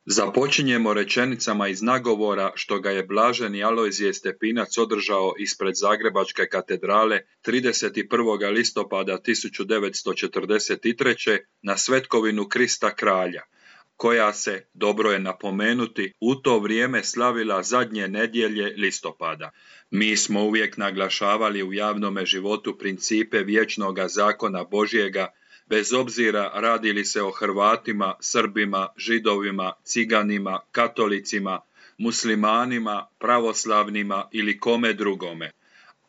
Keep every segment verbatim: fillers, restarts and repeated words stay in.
Započinjemo rečenicama iz nagovora što ga je blaženi Alojzije Stepinac održao ispred Zagrebačke katedrale trideset prvog listopada tisuću devetsto četrdeset treće. na svetkovinu Krista kralja, koja se, dobro je napomenuti, u to vrijeme slavila zadnje nedjelje listopada. Mi smo uvijek naglašavali u javnome životu principe vječnoga zakona Božjega, bez obzira radi li se o Hrvatima, Srbima, Židovima, Ciganima, Katolicima, Muslimanima, pravoslavnima ili kome drugome.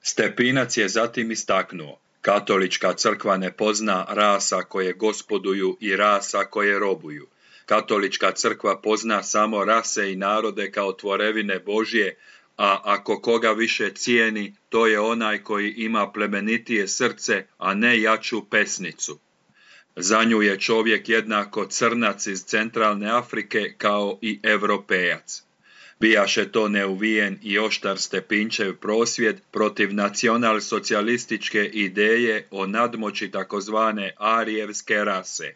Stepinac je zatim istaknuo: Katolička crkva ne pozna rasa koje gospoduju i rasa koje robuju. Katolička crkva pozna samo rase i narode kao tvorevine Božje, a ako koga više cijeni, to je onaj koji ima plemenitije srce, a ne jaču pesnicu. Za nju je čovjek jednako crnac iz centralne Afrike kao i Europejac. Bijaše to neuvijen i oštar Stepinčev prosvjed protiv nacionalsocijalističke ideje o nadmoći takozvane arijevske rase.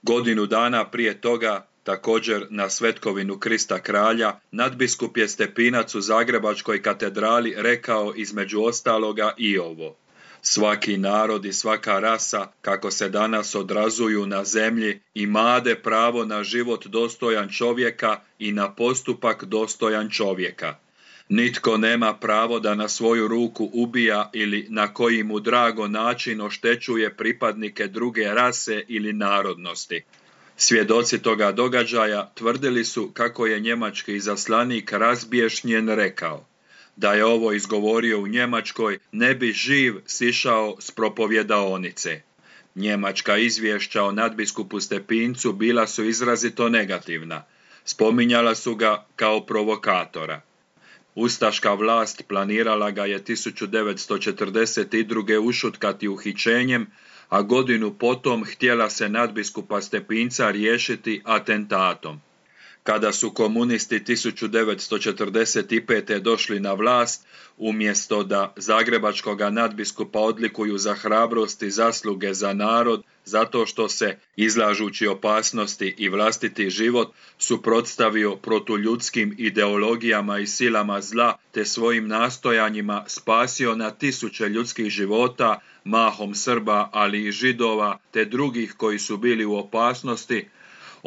Godinu dana prije toga, također na svetkovinu Krista kralja, nadbiskup je Stepinac u Zagrebačkoj katedrali rekao između ostaloga i ovo: Svaki narod i svaka rasa, kako se danas odrazuju na zemlji, imade pravo na život dostojan čovjeka i na postupak dostojan čovjeka. Nitko nema pravo da na svoju ruku ubija ili na koji mu drago način oštećuje pripadnike druge rase ili narodnosti. Svjedoci toga događaja tvrdili su kako je njemački izaslanik razbješnjen rekao: Da je ovo izgovorio u Njemačkoj, ne bi živ sišao s propovjedaonice. Njemačka izvješća o nadbiskupu Stepincu bila su izrazito negativna. Spominjala su ga kao provokatora. Ustaška vlast planirala ga je tisuću devetsto četrdeset druge ušutkati uhićenjem, a godinu potom htjela se nadbiskupa Stepinca riješiti atentatom. Kada su komunisti tisuću devetsto četrdeset pete. došli na vlast, umjesto da zagrebačkoga nadbiskupa odlikuju za hrabrost i zasluge za narod, zato što se, izlažući opasnosti i vlastiti život, suprotstavio protuljudskim ideologijama i silama zla, te svojim nastojanjima spasio na tisuće ljudskih života, mahom Srba, ali i Židova, te drugih koji su bili u opasnosti,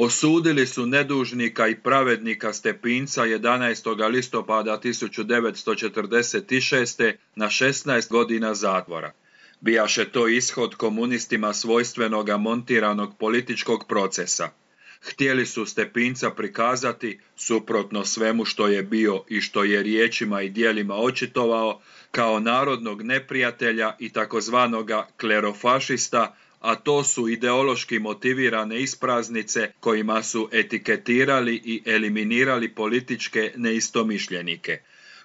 osudili su nedužnika i pravednika Stepinca jedanaestog listopada tisuću devetsto četrdeset šeste. na šesnaest godina zatvora. Bijaše to ishod komunistima svojstvenoga montiranog političkog procesa. Htjeli su Stepinca prikazati, suprotno svemu što je bio i što je riječima i djelima očitovao, kao narodnog neprijatelja i takozvanoga klerofašista, a to su ideološki motivirane ispraznice kojima su etiketirali i eliminirali političke neistomišljenike.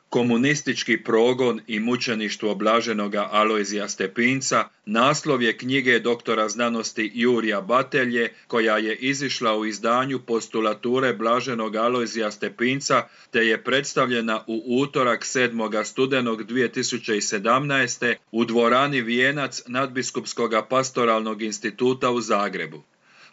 Komunistički progon i mučeništvo blaženoga Alojzija Stepinca naslov je knjige doktora znanosti Jurija Batelje, koja je izišla u izdanju Postulature blaženog Alojzija Stepinca, te je predstavljena u utorak sedmog studenog dvije tisuće sedamnaeste. u dvorani Vijenac Nadbiskupskog pastoralnog instituta u Zagrebu.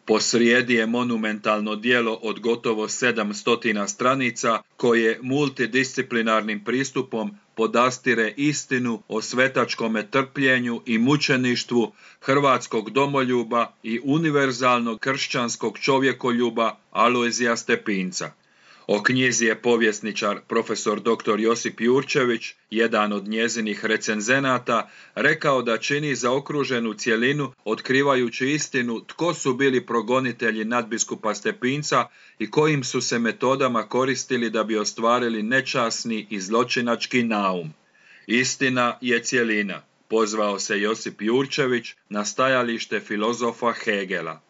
Posrijedi je monumentalno djelo od gotovo sedamsto stranica koje multidisciplinarnim pristupom podastire istinu o svetačkome trpljenju i mučeništvu hrvatskog domoljuba i univerzalnog kršćanskog čovjekoljuba Alojzija Stepinca. O knjizi je povjesničar profesor doktor Josip Jurčević, jedan od njezinih recenzenata, rekao da čini zaokruženu cjelinu otkrivajući istinu tko su bili progonitelji nadbiskupa Stepinca i kojim su se metodama koristili da bi ostvarili nečasni i zločinački naum. Istina je cjelina, pozvao se Josip Jurčević na stajalište filozofa Hegela.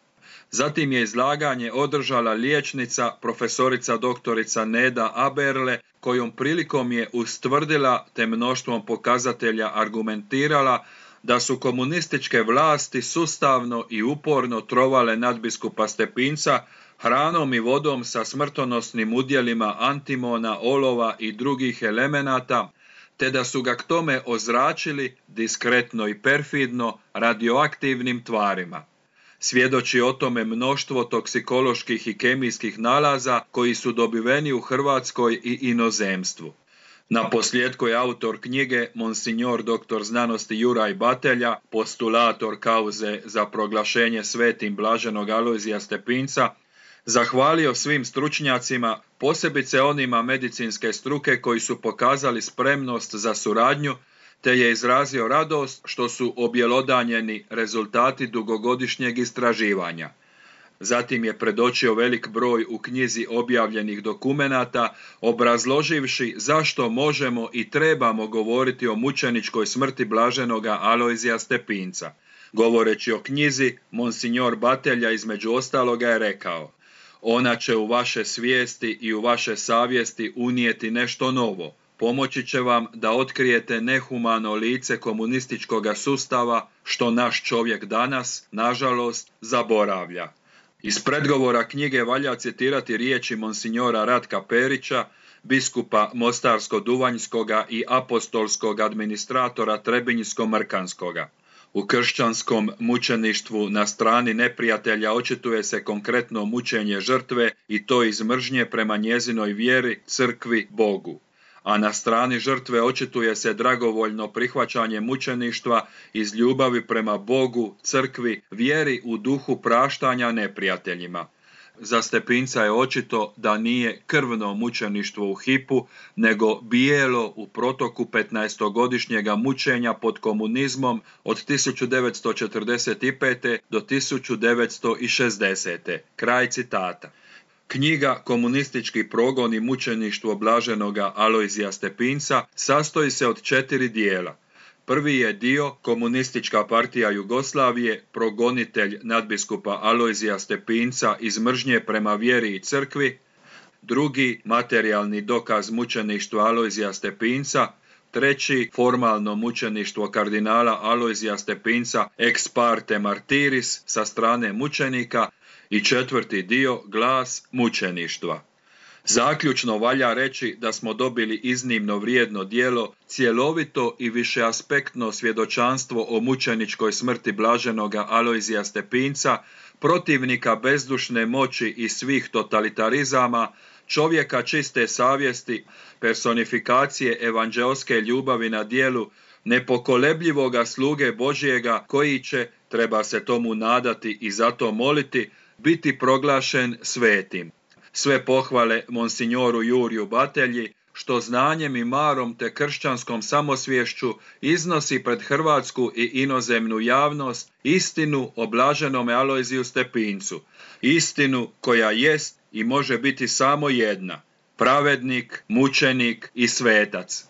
Zatim je izlaganje održala liječnica, profesorica doktorica Neda Aberle, kojom prilikom je ustvrdila te mnoštvom pokazatelja argumentirala da su komunističke vlasti sustavno i uporno trovale nadbiskupa Stepinca hranom i vodom sa smrtonosnim udjelima antimona, olova i drugih elemenata, te da su ga k tome ozračili diskretno i perfidno radioaktivnim tvarima. Svjedoči o tome mnoštvo toksikoloških i kemijskih nalaza koji su dobiveni u Hrvatskoj i inozemstvu. Na posljedku je autor knjige monsignor doktor znanosti Juraj Batelja, postulator kauze za proglašenje svetim blaženog Alojzija Stepinca, zahvalio svim stručnjacima, posebice onima medicinske struke koji su pokazali spremnost za suradnju, te je izrazio radost što su objelodanjeni rezultati dugogodišnjeg istraživanja. Zatim je predočio velik broj u knjizi objavljenih dokumenata, obrazloživši zašto možemo i trebamo govoriti o mučeničkoj smrti blaženoga Alojzija Stepinca. Govoreći o knjizi, monsignor Batelja između ostaloga je rekao: ona će u vaše svijesti i u vaše savjesti unijeti nešto novo. Pomoći će vam da otkrijete nehumano lice komunističkog sustava, što naš čovjek danas, nažalost, zaboravlja. Iz predgovora knjige valja citirati riječi monsignora Ratka Perića, biskupa Mostarsko-Duvanjskoga i apostolskog administratora Trebinjsko-Mrkanskoga. U kršćanskom mučeništvu na strani neprijatelja očituje se konkretno mučenje žrtve i to iz mržnje prema njezinoj vjeri, crkvi, Bogu. A na strani žrtve očituje se dragovoljno prihvaćanje mučeništva iz ljubavi prema Bogu, crkvi, vjeri u duhu praštanja neprijateljima. Za Stepinca je očito da nije krvno mučeništvo u hipu, nego bijelo u protoku petnaestogodišnjega mučenja pod komunizmom od tisuću devetsto četrdeset pete do tisuću devetsto šezdesete. Kraj citata. Knjiga Komunistički progon i mučeništvo blaženoga Alojzija Stepinca sastoji se od četiri dijela. Prvi je dio Komunistička partija Jugoslavije, progonitelj nadbiskupa Alojzija Stepinca iz mržnje prema vjeri i crkvi. Drugi, materijalni dokaz mučeništva Alojzija Stepinca. Treći, formalno mučeništvo kardinala Alojzija Stepinca ex parte martiris sa strane mučenika. I četvrti dio, glas mučeništva. Zaključno valja reći da smo dobili iznimno vrijedno djelo, cjelovito i višeaspektno svjedočanstvo o mučeničkoj smrti blaženoga Alojzija Stepinca, protivnika bezdušne moći i svih totalitarizama, čovjeka čiste savjesti, personifikacije evanđeoske ljubavi na djelu, nepokolebljivoga sluge Božjega koji će, treba se tomu nadati i zato moliti, biti proglašen svetim. Sve pohvale monsignoru Juriju Batelji, što znanjem i marom te kršćanskom samosvješću iznosi pred hrvatsku i inozemnu javnost istinu o blaženome Alojziju Stepincu, istinu koja jest i može biti samo jedna, pravednik, mučenik i svetac.